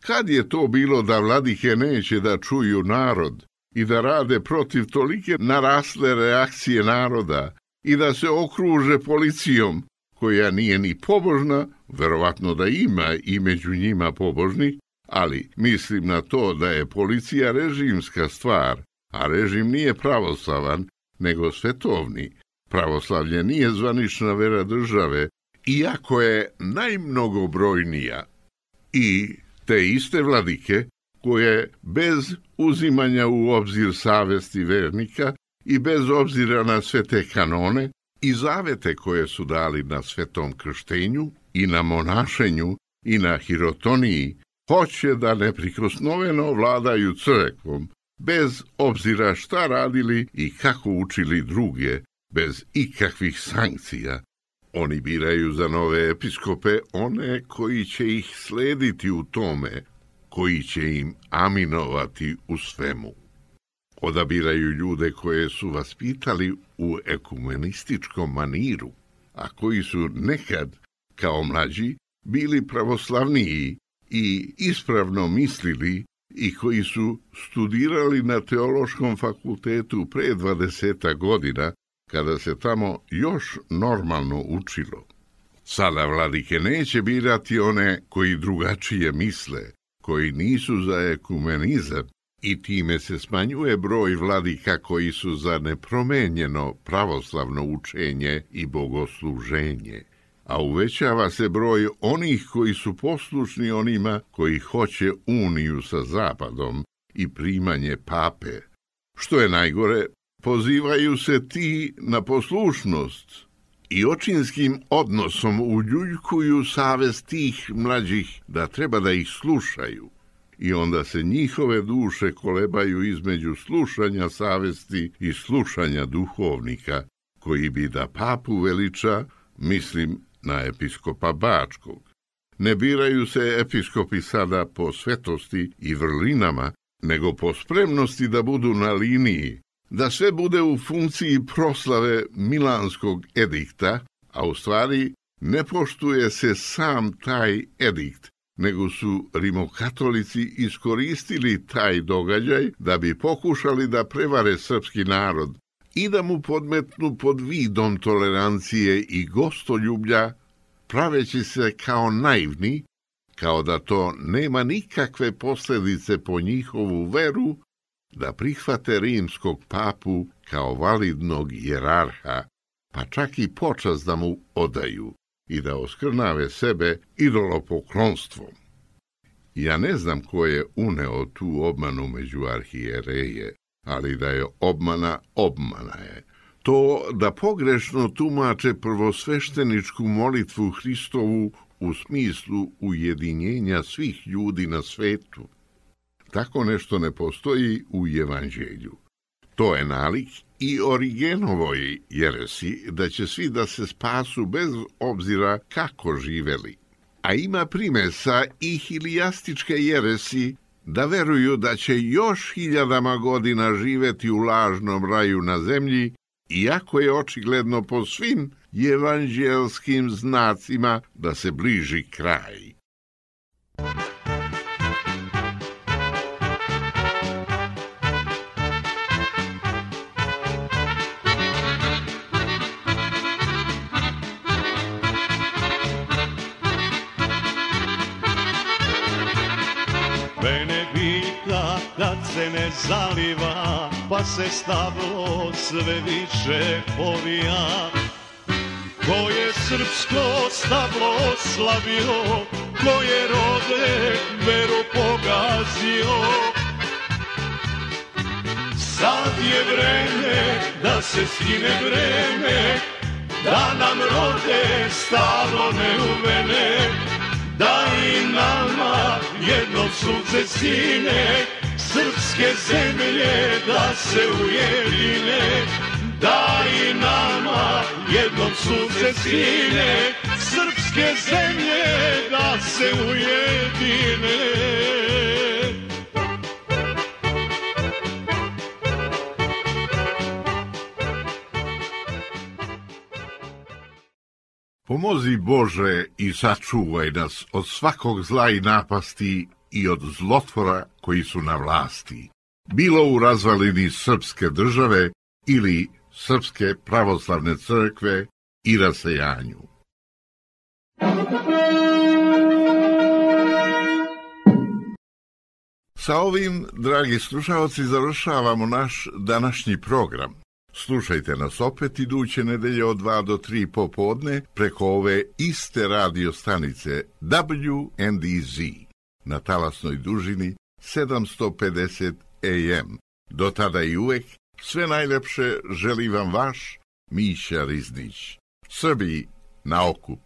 Kad je to bilo da vladike neće da čuju narod i da rade protiv tolike narasle reakcije naroda i da se okruže policijom, koja nije ni pobožna, verovatno da ima i među njima pobožni, ali mislim na to da je policija režimska stvar, a režim nije pravoslavan, nego svetovni. Pravoslavlje nije zvanična vera države, iako je najmnogobrojnija. I te iste vladike, koje bez uzimanja u obzir savesti vernika i bez obzira na sve te kanone i zavete koje su dali na svetom krštenju i na monašenju i na hirotoniji, hoće da neprikosnoveno vladaju crkvom, bez obzira šta radili i kako učili druge, bez ikakvih sankcija. Oni biraju za nove episkope one koji će ih slediti u tome, koji će im aminovati u svemu. Odabiraju ljude koje su vaspitali u ekumenističkom maniru, a koji su nekad, kao mlađi, bili pravoslavniji i ispravno mislili i koji su studirali na teološkom fakultetu pre dvadeseta godina, kada se tamo još normalno učilo. Sada vladike neće birati one koji drugačije misle, koji nisu za ekumenizam, i time se smanjuje broj vladika koji su za nepromenjeno pravoslavno učenje i bogosluženje, a uvećava se broj onih koji su poslušni onima koji hoće uniju sa Zapadom i primanje pape. Što je najgore, pozivaju se ti na poslušnost i očinskim odnosom uljuljkuju savest tih mlađih da treba da ih slušaju. I onda se njihove duše kolebaju između slušanja savesti i slušanja duhovnika, koji bi da papu veliča, mislim na episkopa Bačkog. Ne biraju se episkopi sada po svetosti i vrlinama, nego po spremnosti da budu na liniji, da sve bude u funkciji proslave Milanskog edikta, a u stvari ne poštuje se sam taj edikt, nego su rimokatolici iskoristili taj događaj da bi pokušali da prevare srpski narod i da mu podmetnu pod vidom tolerancije i gostoljublja, praveći se kao naivni, kao da to nema nikakve posljedice po njihovu veru, da prihvate rimskog papu kao validnog jerarha, pa čak i počast da mu odaju i da oskrnave sebe idolopoklonstvom. Ja ne znam ko je uneo tu obmanu među arhijereje, ali da je obmana, obmana je. To da pogrešno tumače prvosvešteničku molitvu Hristovu u smislu ujedinjenja svih ljudi na svetu. Tako nešto ne postoji u Evanđelju. To je nalik i Origenovoj jeresi da će svi da se spasu bez obzira kako živeli. A ima primesa i hilijastičke jeresi da veruju da će još hiljadama godina živeti u lažnom raju na zemlji, iako je očigledno po svim evanđelskim znacima da se bliži kraj. Mene pita kad se ne zaliva, pa se stablo sve više povija. Ko je srpsko stablo oslavio, ko je rode veru pogazio. Sad je vreme da se skine vreme, da nam rode stablo neuvene, da i nama jedno sunce sine, srpske zemlje da se ujedine. Da i nama jednom sunce sine, srpske zemlje da se ujedine. Pomozi Bože i sačuvaj nas od svakog zla i napasti i od zlotvora koji su na vlasti, bilo u razvalini srpske države ili Srpske pravoslavne crkve i rasejanju. Sa ovim, dragi slušalci, završavamo naš današnji program. Slušajte nas opet iduće nedelje od dva do tri popodne preko ove iste radio stanice W N D Z na talasnoj dužini sedamsto pedeset A M. Do tada i uvek sve najlepše želi vam vaš Miša Riznić. Srbiji na okup.